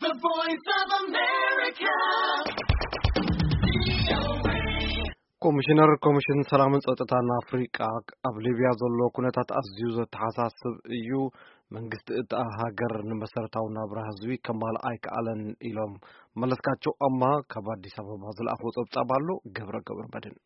The Voice of America. ኮሚሽነር ኮሚሽን ሰላምን ጸጥታን ኣፍሪቃ፣ ኣብ ሊብያ ዘሎ ኩነታት ኣዝዩ ዘተሓሳስብ እዩ፣ መንግስቲ እታ ሃገር ንመሰረታዊ ናብራ ህዝቢ ከማልእ ኣይከኣለን ኢሎም። መለስካቸው ኣማ ካብ ኣዲስ ኣበባ ዝለኣኾ ጸብጻብ ኣሎ፣ ገብረ ገብረ መድን።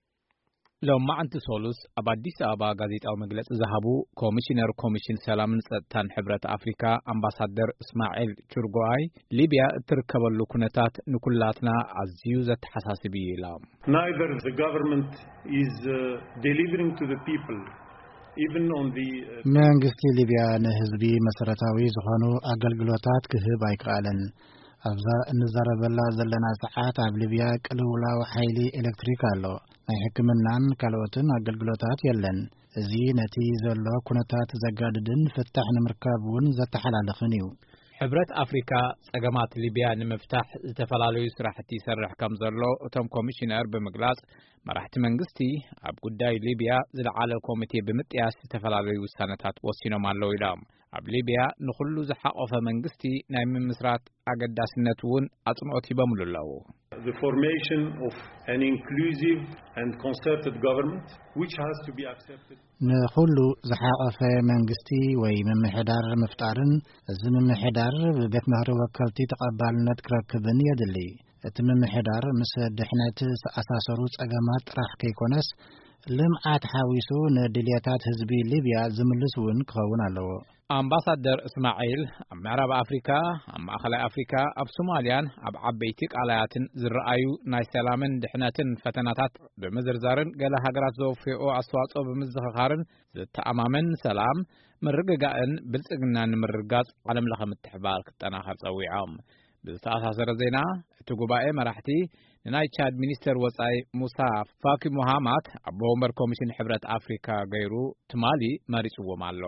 ሎማዕንቲ ሶሉስ ኣብ ኣዲስ ኣበባ ጋዜጣዊ መግለጺ ዝሃቡ ኮሚሽነር ኮሚሽን ሰላምን ጸጥታን ሕብረት ኣፍሪካ ኣምባሳደር እስማዒል ቹርጎኣይ፣ ሊብያ እትርከበሉ ኩነታት ንኩላትና ኣዝዩ ዘተሓሳስብ እዩ ኢሎም። Neither the government is uh, delivering to the people, even on the uh, መንግስቲ ሊብያ ንህዝቢ መሰረታዊ ዝኾኑ ኣገልግሎታት ክህብ ኣይከኣለን። ኣብዛ እንዛረበላ ዘለና ሰዓት ኣብ ሊብያ ቅልውላው ሓይሊ ኤሌክትሪክ ኣሎ። ናይ ሕክምናን ካልኦትን ኣገልግሎታት የለን። እዚ ነቲ ዘሎ ኩነታት ዘጋድድን ፍታሕ ንምርካብ እውን ዘተሓላልኽን እዩ። ሕብረት ኣፍሪካ ጸገማት ሊብያ ንምፍታሕ ዝተፈላለዩ ስራሕቲ ይሰርሕ ከም ዘሎ እቶም ኮሚሽነር ብምግላጽ፣ መራሕቲ መንግስቲ ኣብ ጉዳይ ሊብያ ዝለዓለ ኮሚቴ ብምጥያስ ዝተፈላለዩ ውሳነታት ወሲኖም ኣለዉ ኢሎም። ኣብ ሊብያ ንኹሉ ዝሓቆፈ መንግስቲ ናይ ምምስራት ኣገዳስነት እውን ኣጽንኦት ሂቦምሉ ኣለዉ። The formation of an inclusive and concerted government which has to be accepted. ንኹሉ ዝሓቆፈ መንግስቲ ወይ ምምሕዳር ምፍጣርን፣ እዚ ምምሕዳር ብቤት ምኽሪ ወከልቲ ተቐባልነት ክረክብን የድሊ። እቲ ምምሕዳር ምስ ድሕነት ዝተኣሳሰሩ ጸገማት ጥራሕ ከይኮነስ፣ ልምዓት ሓዊሱ ንድልየታት ህዝቢ ሊብያ ዝምልስ እውን ክኸውን ኣለዎ። ኣምባሳደር እስማዒል፣ ኣብ ምዕራብ ኣፍሪካ፣ ኣብ ማእኸላይ ኣፍሪካ፣ ኣብ ሶማልያን ኣብ ዓበይቲ ቃላያትን ዝረኣዩ ናይ ሰላምን ድሕነትን ፈተናታት ብምዝርዛርን ገለ ሃገራት ዘወፍኦ ኣስተዋጽኦ ብምዝኽኻርን፣ ዝተኣማመን ሰላም፣ ምርግጋእን ብልጽግናን ንምርግጋጽ ዓለም ለኸ ምትሕባር ክጠናኸር ጸዊዖም። ብዝተኣሳሰረ ዜና፣ እቲ ጉባኤ መራሕቲ ንናይ ቻድ ሚኒስተር ወጻኢ ሙሳ ፋኪ ሙሃማት ኣቦ ወንበር ኮሚሽን ሕብረት ኣፍሪካ ገይሩ ትማሊ መሪጽዎም ኣሎ።